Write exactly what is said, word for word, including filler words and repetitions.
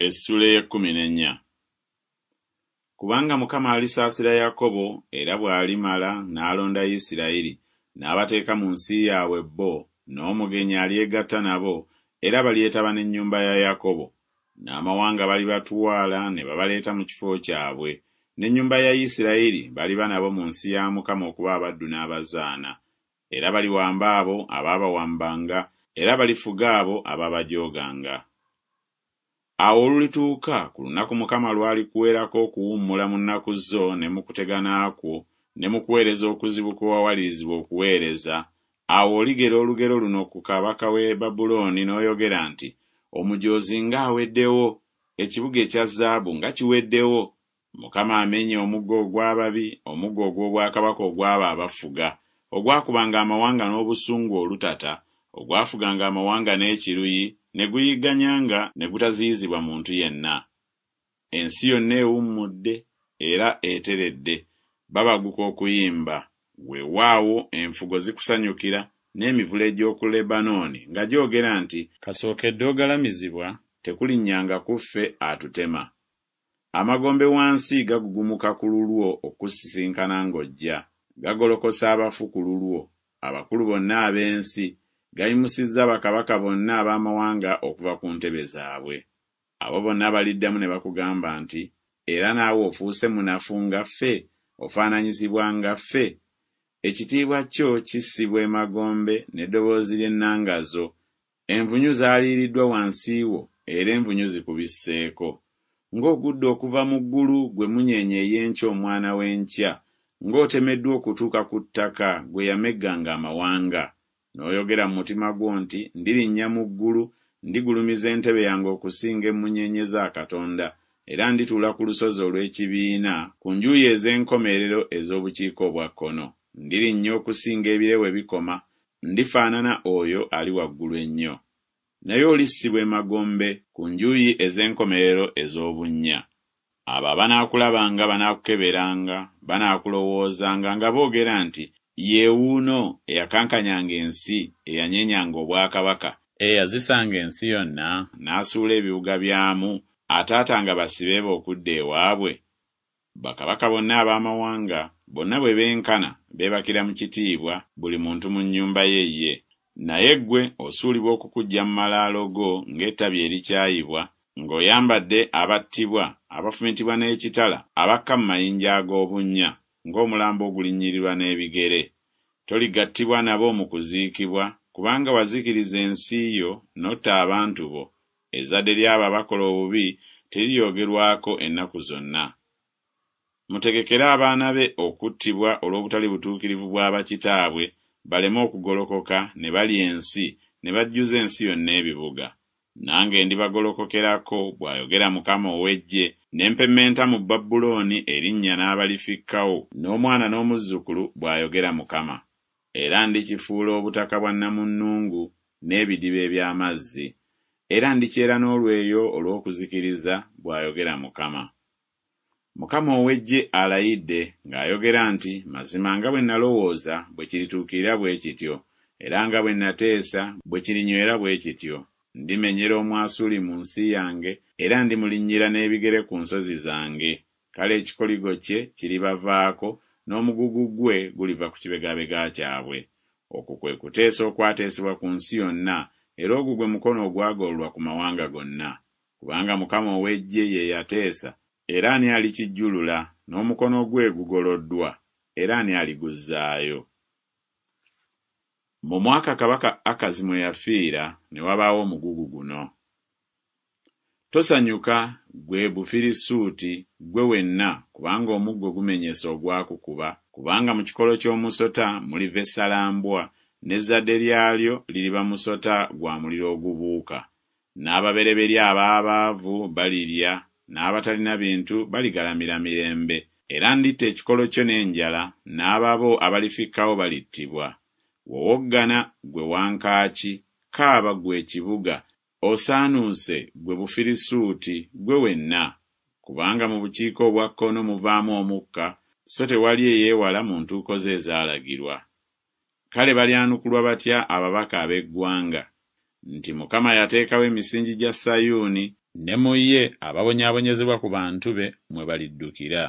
Essula ey'ekkumi n'ennya. Kubanga Mukama alisaasira Yakobo, era bw'alimala n'alonda Isirayiri, n'abateeka mu nsi yaabwe bo, n'omugenyi alyegatta nabo, era balyetaba n'ennyumba ya Yakobo. N'amawanga balibatwala ne babaleeta mu kifo kyabwe, n'ennyumba ya Isirayiri baliba nabo mu nsi ya Mukama okuba abaddu n'abazaana. Era baliwamba abo abaabawambanga, era balifuga abo ababajooganga. Awo olulituuka ku lunaku Mukama lw'alikuweerako okuwummula mu nnaku zo ne mu kutegana kwo ne mu kuweereza okuzibu kwe wawalirizibwa okuweereza, awo oligera olugero luno ku kabaka w'e Babulooni n'oyogera nti, Omujoozi ng'aweddewo! Ekibuga ekya zaabu nga kiweddewo! Mukama amenye omuggo ogw'ababi, omuggo ogw'obwakabaka ogw'abo abafuga, ogwakubanga amawanga n'obusungu olutata, ogwafuganga amawanga n'ekiruyi, ne guyigganyanga ne gutaziyizibwa muntu yenna. Ensi yonna ewummudde era eteredde, babaguka okuyimba. Weewaawo enfugo zikusanyukira, n'emivule egy'oku Lebanooni nga gyogera nti Kasookedde ogalamizibwa tekulinnyanga ku ffe atutema. Amagombe wansi gagugumuka ku lulwo okukusisinkana ng'ojja, gagolokosa abafu ku lulwo, abakulu bonna ab'ensi, gayimusizza bakabaka bonna ab'amawanga okuva ku ntebe zaabwe. Abo bonna baliddamu ne bakugamba nti Era naawe ofuuse munafu nga ffe, ofaananyizibwa nga ffe? Ekitiibwa kyo kissibwa emagombe n'eddoboozi ly'ennanga zo, envunyu zaaliiriddwa wansi wo, era envunyu zikubisseeko. Ng'ogudde okuva mu ggulu, ggwe mmunyeenye ey'enkya omwana w'enkya! Ng'otemeddwa okutuuka ku ttaka, ggwe eyamegganga amawanga! N'oyogera mu mutima gwo nti Ndirinnya mu ggulu, ndigulumiza entebe yange okusinga emmunyeenye za Katonda, era ndituula ku lusozi olw'ekibiina ku njuyi ez'enkomerero ez'obukiika obwa kkono, ndirinnya okusinga ebire we bikoma, ndifaanana oyo Ali waggulu ennyo. Naye olissibwa emagombe ku njuyi ez'enkomerero ez'obunnya. Abo abanaakulabanga banaakukeberanga, banaakulowoozanga nga boogera nti Ye wuuno eyakankanyanga ensi, eyanyeenyanga obwakabaka, eyazisanga ensi yonna, n'asuula ebibuga byamu, ataatanga basibe be okudda ewaabwe? Bakabaka bonna ab'amawanga, bonna bwe benkana, beebakira mu kitiibwa, buli muntu mu nnyumba ye ye. Naye ggwe osuulibwa okukuggya mu malaalo go ng'ettabi erikyayibwa, ng'oyambadde abattibwa, abafumitibwa n'ekitala, abakka mu mayinja ag'obunnya, ng'omulambo ogulinnyirirwa n'ebigere. Toligattibwa nabo mu kuziikibwa, kubanga wazikiriza ensi yo n'otta abantu bo, ezzadde ly'abo abakola obubi teriryogerwako ennaku zonna. Mutegekere abaana be okuttibwa olw'obutali butuukirivu bwa bakitaabwe, baleme okugolokoka ne balya ensi, ne bajjuza ensi yonna ebibuga. Nange ndibagolokokerako, bw'ayogera Mukama ow'eggye, ne mpemmenta mu Babulooni erinnya n'abalifikkawo, n'omwana n'omuzzukulu, bw'ayogera Mukama. Era ndikifuula obutaka bwa nnamunnungu n'ebidiba eby'amazzi. Era ndikyera n'olweyo olw'okuzikiriza, bw'ayogera Mukama. Mukama ow'eggye alayidde ng'ayogera nti Mazima nga bwe nalowooza bwe kirituukirira bwe kityo, era nga bwe nateesa bwe kirinywera bwe kityo. Ndimenyera Omwasuli mu nsi yange, era ndimulinnyira n'ebigere ku nsozi zange, kale ekikoligo kye kiribavaako, n'omugugu gwe guliva ku kibegabega kyabwe. Okwo kwe kuteesa okwateesebwa ku nsi yonna, era ogwo gwe mukono ogwagololwa ku mawanga gonna. Kubanga Mukama ow'eggye ye yateesa, era ani alikijjulula? N'omukono gwe gugoloddwa, era ani aliguzzaayo? Mu mwaka kabaka Akazi mwe yafiira ne wabaawo omugugu guno. Tosanyuka, ggwe Bufirisuuti, ggwe wenna, kubanga omuggo gumenyese ogwakukuba, kubanga mu kikolo ky'omusota muliva essalambwa, n'ezzadde lyalyo liriba musota gwa muliro ogubuuka. N'ababereberye ab'abaavu balirya, n'abatalina bintu baligalamira mirembe. Era nditta ekikolo kyo n'enjala, n'ababo abalifikkawo balittibwa. Wowoggana, ggwe wankaaki, kaaba ggwe ekibuga, osaanuuse ggwe Bufirisuuti, ggwe wenna! Kubanga mu bukiika obwa kkono muvaamu omukka, so tewali eyeewala mu ntuuko ze ezaalagirwa. Kale balyanukulwa batya ababaka ab'eggwanga? Nti Mukama yateekawo emisingi gya Sayuuni, Ne mu ye ababonyaabonyezebwa ku bantu be mwe baliddukira.